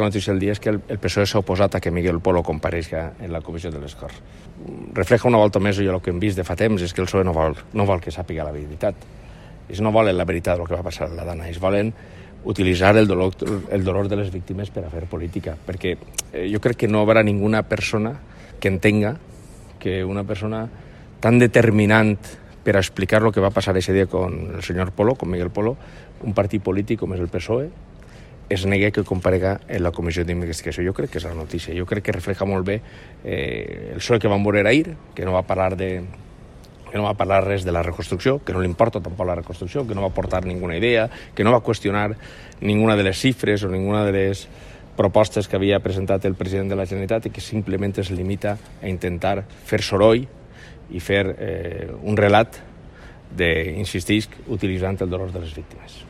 La notícia del dia és que el PSOE s'ha oposat a que Miguel Polo compareixi en la comissió de les Corts. Refleja una volta més el que hem vist de fa temps, és que el PSOE no vol que sàpiga la veritat. Ells no volen la veritat del que va passar a la Dana, ells volen utilitzar el dolor de les víctimes per a fer política, perquè jo crec que no hi haurà ninguna persona que entenga que una persona tan determinant per a explicar el que va passar ese dia con el senyor Polo, con Miguel Polo, un partit polític com és el PSOE, es negui que comparega en la comissió d'investigació. Jo crec que és la notícia. Jo crec que refleja molt bé el PSOE que vam veure ahir, que no va parlar res de la reconstrucció, que no li importa tampoc la reconstrucció, que no va aportar ninguna idea, que no va qüestionar ninguna de les xifres o ninguna de les propostes que havia presentat el president de la Generalitat i que simplement es limita a intentar fer soroll i fer un relat insistisc, utilitzant el dolor de les víctimes.